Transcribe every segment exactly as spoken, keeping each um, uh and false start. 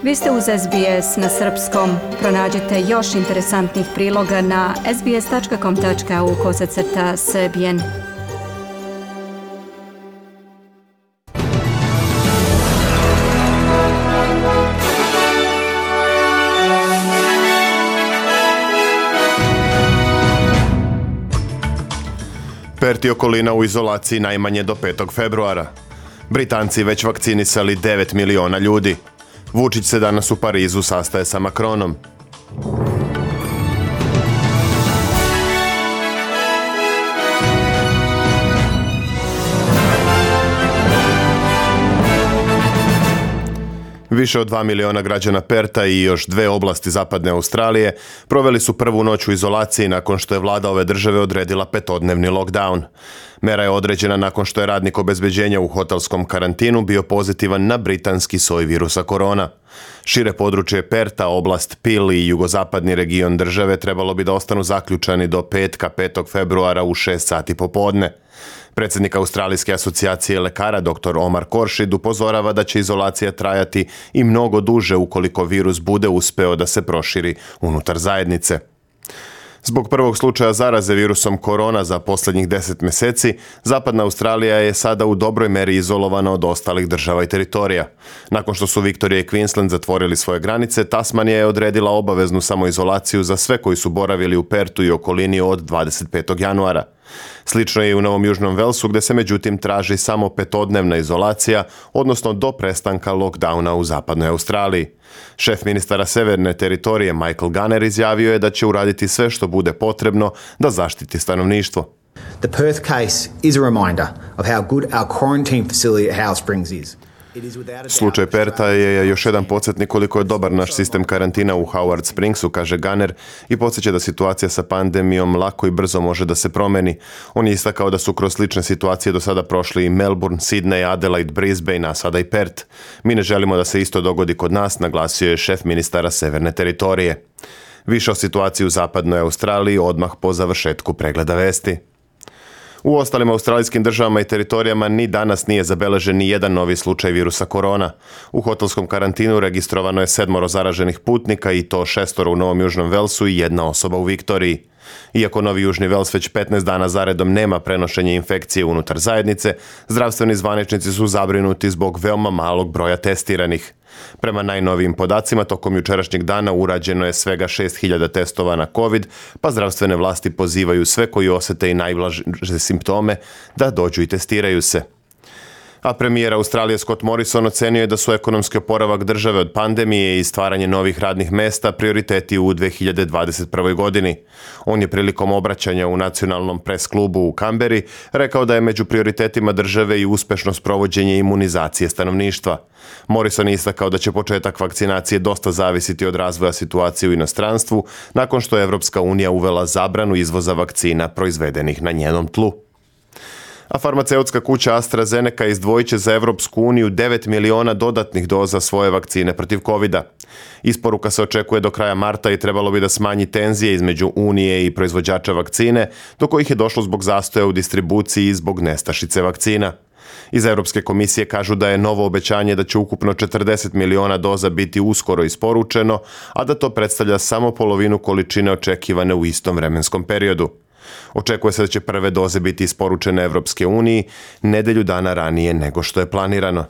Vi ste uz S B S na srpskom. Pronađite još interesantnih priloga na sbs.com tačka au kosacrta srbijen. Perth i okolina u izolaciji najmanje do petog februara. Britanci već vakcinisali devet miliona ljudi. Vučić se danas u Parizu sastaje sa Macronom. Više od dva miliona građana Perta i još dve oblasti zapadne Australije proveli su prvu noć u izolaciji nakon što je vlada ove države odredila petodnevni lockdown. Mera je određena nakon što je radnik obezbeđenja u hotelskom karantinu bio pozitivan na britanski soj virusa korona. Šire područje Perta, oblast Peel i jugozapadni region države trebalo bi da ostanu zaključani do petka petog februara u šest sati popodne. Predsjednik Australijske asocijacije lekara doktor Omar Koršid upozorava da će izolacija trajati i mnogo duže ukoliko virus bude uspeo da se proširi unutar zajednice. Zbog prvog slučaja zaraze virusom korona za posljednjih deset mjeseci, zapadna Australija je sada u dobroj meri izolovana od ostalih država i teritorija. Nakon što su Viktorija i Queensland zatvorili svoje granice, Tasmanija je odredila obaveznu samoizolaciju za sve koji su boravili u Pertu i okolini od dvadeset petog januara. Slično je i u Novom Južnom Velsu, gdje se međutim traži samo petodnevna izolacija, odnosno do prestanka lockdowna u zapadnoj Australiji. Šef ministara severne teritorije Michael Gunner izjavio je da će uraditi sve što bude potrebno da zaštiti stanovništvo. The Perth case is a reminder of how good our quarantine facility at Howard Springs is. Slučaj Perta je još jedan podsjetnik koliko je dobar naš sistem karantina u Howard Springsu, kaže Gunner, i podsjeća da situacija sa pandemijom lako i brzo može da se promeni. On je istakao da su kroz slične situacije do sada prošli i Melbourne, Sydney, Adelaide, Brisbane, a sada i Perth. Mi ne želimo da se isto dogodi kod nas, naglasio je šef ministara severne teritorije. Više o situaciji u zapadnoj Australiji odmah po završetku pregleda vesti. U ostalim australijskim državama i teritorijama ni danas nije zabeležen ni jedan novi slučaj virusa korona. U hotelskom karantinu registrovano je sedmoro zaraženih putnika i to šestoro u Novom Južnom Velsu i jedna osoba u Viktoriji. Iako Novi Južni Vels već petnaest dana zaredom nema prenošenje infekcije unutar zajednice, zdravstveni zvaničnici su zabrinuti zbog veoma malog broja testiranih. Prema najnovijim podacima, tokom jučerašnjeg dana urađeno je svega šest hiljada testova na COVID, pa zdravstvene vlasti pozivaju sve koji osjete i najblaže simptome da dođu i testiraju se. A premijer Australije Scott Morrison ocenio je da su ekonomski oporavak države od pandemije i stvaranje novih radnih mesta prioriteti u dve hiljade dvadeset prvoj. godini. On je prilikom obraćanja u nacionalnom pres klubu u Kamberi rekao da je među prioritetima države i uspešno sprovođenje imunizacije stanovništva. Morrison je istakao da će početak vakcinacije dosta zavisiti od razvoja situacije u inostranstvu nakon što je Evropska unija uvela zabranu izvoza vakcina proizvedenih na njenom tlu. A farmaceutska kuća AstraZeneca izdvojit će za Evropsku uniju devet miliona dodatnih doza svoje vakcine protiv kovida. Isporuka se očekuje do kraja marta i trebalo bi da smanji tenzije između Unije i proizvođača vakcine, do kojih je došlo zbog zastoja u distribuciji i zbog nestašice vakcina. Iz Europske komisije kažu da je novo obećanje da će ukupno četrdeset miliona doza biti uskoro isporučeno, a da to predstavlja samo polovinu količine očekivane u istom vremenskom periodu. Očekuje se da će prve doze biti isporučene Evropske uniji nedelju dana ranije nego što je planirano.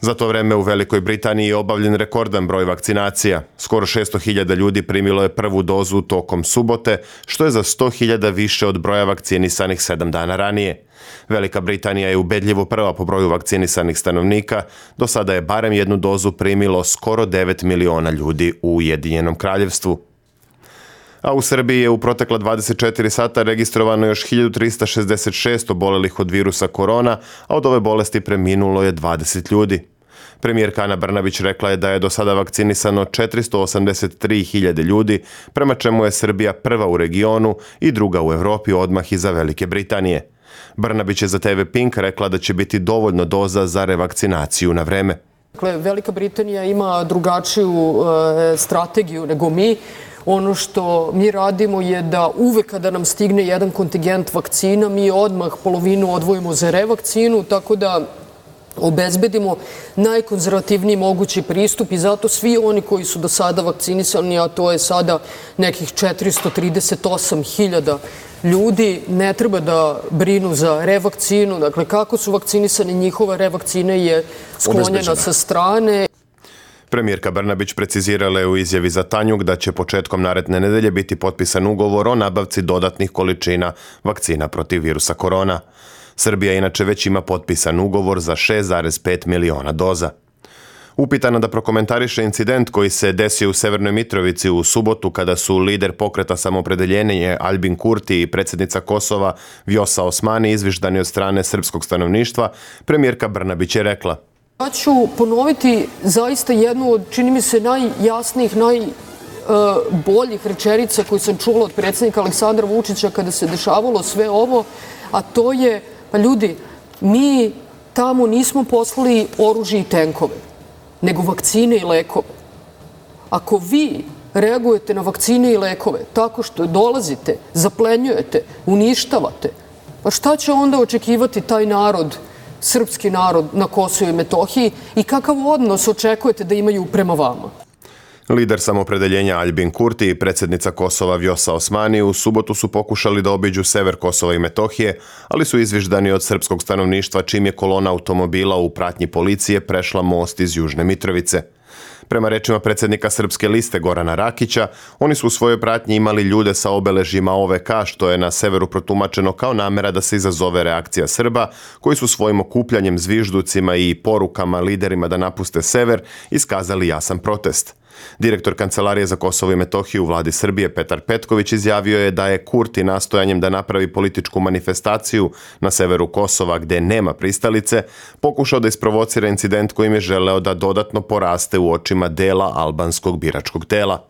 Za to vreme u Velikoj Britaniji je obavljen rekordan broj vakcinacija. Skoro šesto hiljada ljudi primilo je prvu dozu tokom subote, što je za sto hiljada više od broja vakcinisanih sedam dana ranije. Velika Britanija je ubedljivo prva po broju vakcinisanih stanovnika, do sada je barem jednu dozu primilo skoro devet miliona ljudi u Ujedinjenom Kraljevstvu. A u Srbiji je u protekla dvadeset četiri sata registrovano još hiljadu trista šezdeset šest obolelih od virusa korona, a od ove bolesti preminulo je dvadeset ljudi. Premijerka Ana Brnabić rekla je da je do sada vakcinisano četiristo osamdeset tri hiljade ljudi, prema čemu je Srbija prva u regionu i druga u Evropi odmah iza Velike Britanije. Brnabić je za te ve Pink rekla da će biti dovoljno doza za revakcinaciju na vreme. Dakle, Velika Britanija ima drugačiju e, strategiju nego mi. Ono što mi radimo je da uvek kada nam stigne jedan kontingent vakcina, mi odmah polovinu odvojimo za revakcinu, tako da obezbedimo najkonzervativniji mogući pristup i zato svi oni koji su do sada vakcinisani, a to je sada nekih četiristo trideset osam hiljada ljudi, ne treba da brinu za revakcinu. Dakle, kako su vakcinisani, njihova revakcina je sklonjena sa strane. Premijerka Brnabić precizirala je u izjavi za Tanjug da će početkom naredne nedelje biti potpisan ugovor o nabavci dodatnih količina vakcina protiv virusa korona. Srbija inače već ima potpisan ugovor za šest zarez pet miliona doza. Upitana da prokomentariše incident koji se desio u Severnoj Mitrovici u subotu kada su lider pokreta Samoopredeljenje Aljbin Kurti i predsjednica Kosova Vjosa Osmani izviždani od strane srpskog stanovništva, premijerka Brnabić je rekla: Ja ću ponoviti zaista jednu od, čini mi se, najjasnijih, najboljih rečenica koju sam čula od predsjednika Aleksandra Vučića kada se dešavalo sve ovo, a to je, pa ljudi, mi tamo nismo poslali oružje i tenkove, nego vakcine i lekove. Ako vi reagujete na vakcine i lekove tako što dolazite, zaplenjujete, uništavate, pa šta će onda očekivati taj narod, srpski narod na Kosovu i Metohiji, i kakav odnos očekujete da imaju prema vama? Lider Samoopredeljenja Aljbin Kurti i predsjednica Kosova Vjosa Osmani u subotu su pokušali da obiđu sever Kosova i Metohije, ali su izviždani od srpskog stanovništva čim je kolona automobila u pratnji policije prešla most iz Južne Mitrovice. Prema rečima predsjednika Srpske liste Gorana Rakića, oni su u svojoj pratnji imali ljude sa obeležjima O V K, što je na severu protumačeno kao namera da se izazove reakcija Srba, koji su svojim okupljanjem, zvižducima i porukama liderima da napuste sever iskazali jasan protest. Direktor Kancelarije za Kosovo i Metohiju u vladi Srbije Petar Petković izjavio je da je Kurti nastojanjem da napravi političku manifestaciju na severu Kosova gde nema pristalice pokušao da isprovocira incident kojim je želeo da dodatno poraste u očima dela albanskog biračkog tela.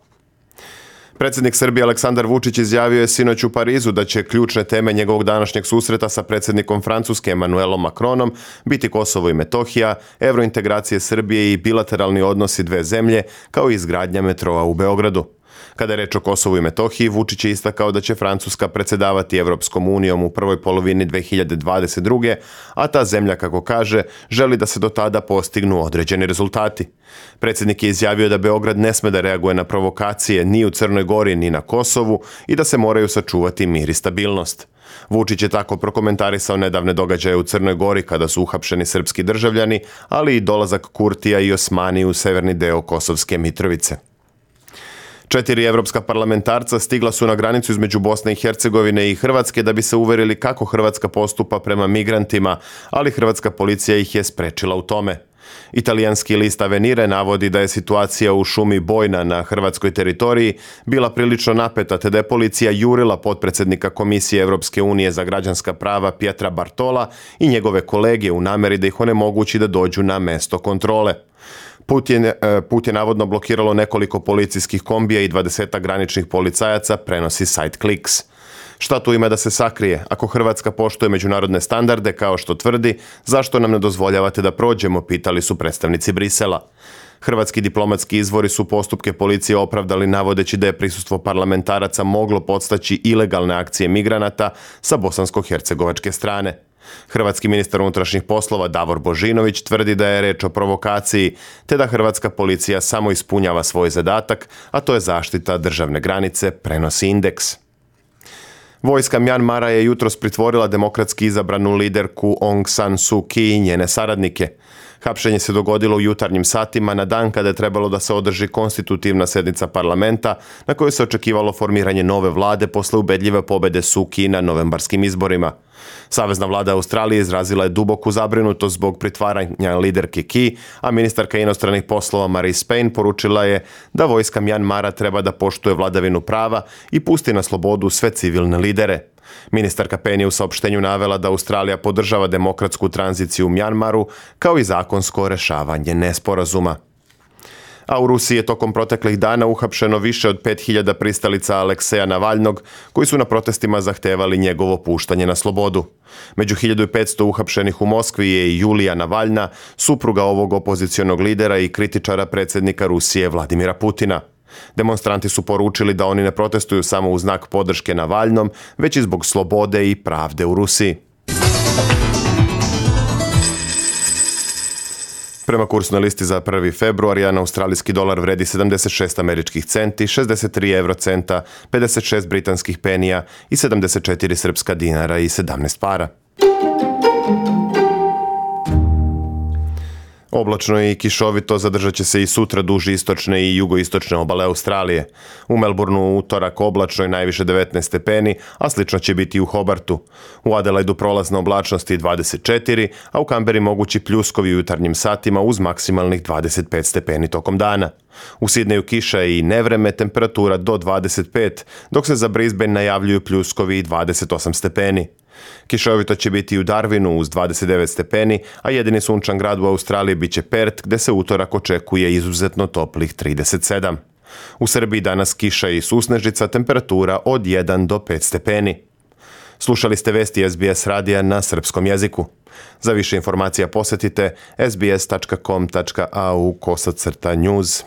Predsjednik Srbije Aleksandar Vučić izjavio je sinoć u Parizu da će ključne teme njegovog današnjeg susreta sa predsjednikom Francuske Emmanuelom Macronom biti Kosovo i Metohija, evrointegracije Srbije i bilateralni odnosi dve zemlje, kao i izgradnja metroa u Beogradu. Kada je reč o Kosovu i Metohiji, Vučić je istakao da će Francuska predsjedavati Evropskom unijom u prvoj polovini dve hiljade dvadeset druge. a ta zemlja, kako kaže, želi da se do tada postignu određeni rezultati. Predsjednik je izjavio da Beograd ne sme da reaguje na provokacije ni u Crnoj Gori ni na Kosovu i da se moraju sačuvati mir i stabilnost. Vučić je tako prokomentarisao nedavne događaje u Crnoj Gori kada su uhapšeni srpski državljani, ali i dolazak Kurtija i Osmani u severni deo Kosovske Mitrovice. Četiri evropska parlamentarca stigla su na granicu između Bosne i Hercegovine i Hrvatske da bi se uverili kako Hrvatska postupa prema migrantima, ali hrvatska policija ih je sprečila u tome. Italijanski list Avenire navodi da je situacija u šumi Bojna na hrvatskoj teritoriji bila prilično napeta, te da je policija jurila potpredsjednika Komisije Evropske unije za građanska prava Pietra Bartola i njegove kolege u nameri da ih onemogući da dođu na mesto kontrole. Put je, put je navodno blokiralo nekoliko policijskih kombija i dvadesetak graničnih policajaca, prenosi sajt Kliks. Šta tu ima da se sakrije? Ako Hrvatska poštuje međunarodne standarde, kao što tvrdi, zašto nam ne dozvoljavate da prođemo, pitali su predstavnici Brisela. Hrvatski diplomatski izvori su postupke policije opravdali navodeći da je prisustvo parlamentaraca moglo podstaći ilegalne akcije migranata sa bosansko-hercegovačke strane. Hrvatski ministar unutrašnjih poslova Davor Božinović tvrdi da je reč o provokaciji, te da hrvatska policija samo ispunjava svoj zadatak, a to je zaštita državne granice, prenosi Indeks. Vojska Mjanmara je jutros pritvorila demokratski izabranu liderku Aung San Suu Kyi i njene saradnike. Hapšenje se dogodilo u jutarnjim satima na dan kada je trebalo da se održi konstitutivna sednica parlamenta na kojoj se očekivalo formiranje nove vlade posle ubedljive pobede Suu Kyi na novembarskim izborima. Savezna vlada Australije izrazila je duboku zabrinutost zbog pritvaranja liderke Kyi, a ministarka inostranih poslova Marise Payne poručila je da vojska Mjanmara treba da poštuje vladavinu prava i pusti na slobodu sve civilne lidere. Ministarka Payne je u saopštenju navela da Australija podržava demokratsku tranziciju u Mjanmaru kao i zakonsko rešavanje nesporazuma. A u Rusiji je tokom proteklih dana uhapšeno više od pet hiljada pristalica Alekseja Navalnog, koji su na protestima zahtevali njegovo puštanje na slobodu. Među hiljadu petsto uhapšenih u Moskvi je i Julija Navalna, supruga ovog opozicionog lidera i kritičara predsjednika Rusije Vladimira Putina. Demonstranti su poručili da oni ne protestuju samo u znak podrške Navalnom, već i zbog slobode i pravde u Rusiji. Prema kursnoj listi za prvi februar, jedan australijski dolar vredi sedamdeset šest američkih centi, šezdeset tri eurocenta, pedeset šest britanskih penija i sedamdeset četiri srpska dinara i sedamnaest para. Oblačno i kišovito zadržat će se i sutra duž istočne i jugoistočne obale Australije. U Melbourneu u utorak oblačno i najviše devetnaest stepeni, a slično će biti i u Hobartu. U Adelaidu prolazna oblačnost i dvadeset četiri, a u Kamberi mogući pljuskovi u jutarnjim satima uz maksimalnih dvadeset pet stepeni tokom dana. U Sidneju kiša i nevreme, temperatura do dvadeset pet, dok se za Brisbane najavljuju pljuskovi i dvadeset osam stepeni. Kišovito će biti i u Darwinu uz dvadeset devet stepeni, a jedini sunčan grad u Australiji biće Perth, gde se utorak očekuje izuzetno toplih trideset sedam. U Srbiji danas kiša i susnežica, temperatura od jedan do pet stepeni. Slušali ste vesti S B S radija na srpskom jeziku. Za više informacija posetite s b s tačka com tačka a u kosacrta news.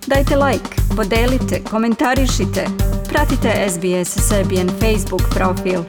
Dajte like, podelite, komentarišite, pratite S B S Serbian Facebook profil.